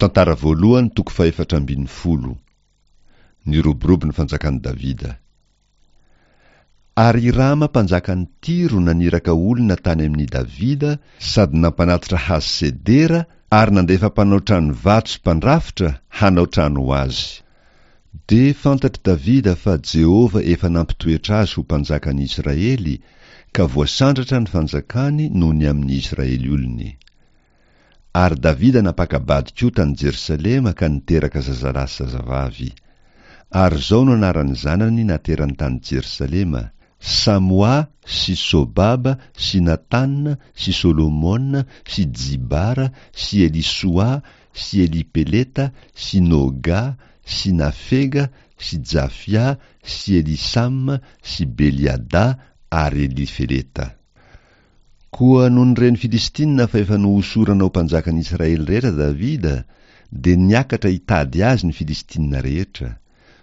Tantara voalohany toko fahefatra ambin'ny folo. Niroborobo ny fanjakan'i Davida. Ary Hirama mpanjakan'i Tyro naniraka olona tany amin'i Davida sady nampanatitra hazo sedera ary nandefa mpanao trano vato sy mpandrafitra hanao trano ho azy. Dia fantatr'i Davida fa Jehovah efa nampitoetra azy ho mpanjakan'ny Israely, ka voasandratra ny fanjakany noho ny amin'ny Israely olony. Ary Davida nampaka-bady koa tany Jerosalema ka niteraka zazalahy sy zazavavy. Ary izao no anaran'ny zanany naterany tany Jerosalema, Samoa sy Sobaba sy Natana sy Solomona sy Jibara sy Elisoa sy Elipeleta sy Noga sy Nafega sy Jafia sy Elisama sy Beliada ary Elifeleta. Koa nony ren'ny Filistina fa efa nohosorana ho mpanjakan'ny Israely rehetra Davida, dia niakatra hitady azy ny Filistina rehetra.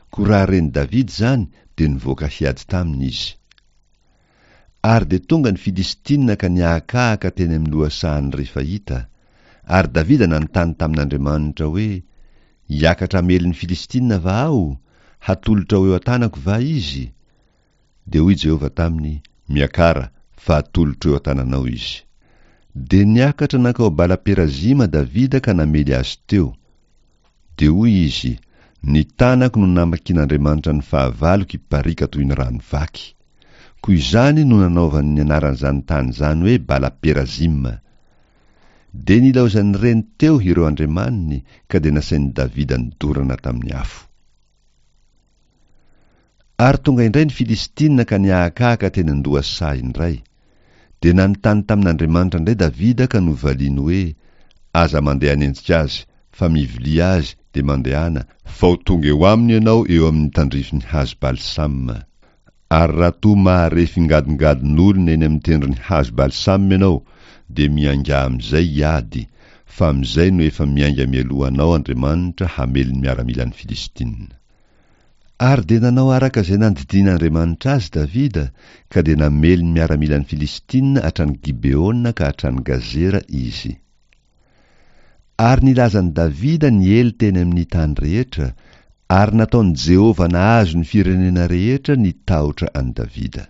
Koa raha ren'i Davida izany, dia nivoaka hiady taminy izy. Ary dia tonga ny Filistina ka nihahakahaka teny amin'ny lohasahan'ny Refaita. Ary Davida nanontany tamin'Andriamanitra hoe, Hiakatra hamely ny Filistina va aho? Hatolotrao eo an-tanako va izy? Dia hoy Jehovah taminy, Miakara, fa atolotro eo an-tananao izy. Dia niakatra nankao Bala-perazima Davida ka namely azy teo. Dia hoy izy, Ny tanako no namakian'Andriamanitra ny fahavaloko hipariaka toy ny rano vaky. Koa izany no nanaovany ny anaran'izany tany izany hoe Bala-perazima. Dia nilaozan'ireny teo ireo andriamaniny ka dia nasain'i Davida nodorana tamin'ny afo. Ary tonga indray ny Filistina ka nihahakahaka teny an-dohasaha indray. Dia nanontany tamin'Andriamanitra indray Davida ka novaliany hoe, Aza mandeha hanenjika azy, fa mivilia azy dia mandehana, fa ho tonga eo aminy ianao eo amin'ny tandrifin'ny hazo balsama. Ary raha toa mahare fingadongadon'olona eny amin'ny tendron'ny hazo balsama ianao, dia miaingà amin'izay hiady, fa amin'izay no efa miainga mialoha anao Andriamanitra hamely ny miaramilan'ny Filistina. Ary dia nanao araka izay nandidian'Andriamanitra azy Davida, ka dia namely ny miaramilan'ny Filistina hatrany Gibeona ka hatrany Gazera izy. Ary nilazan'i Davida niely teny amin'ny tany rehetra, ary nataon'i Jehovah nahazo ny firenena rehetra ny tahotra an'i Davida.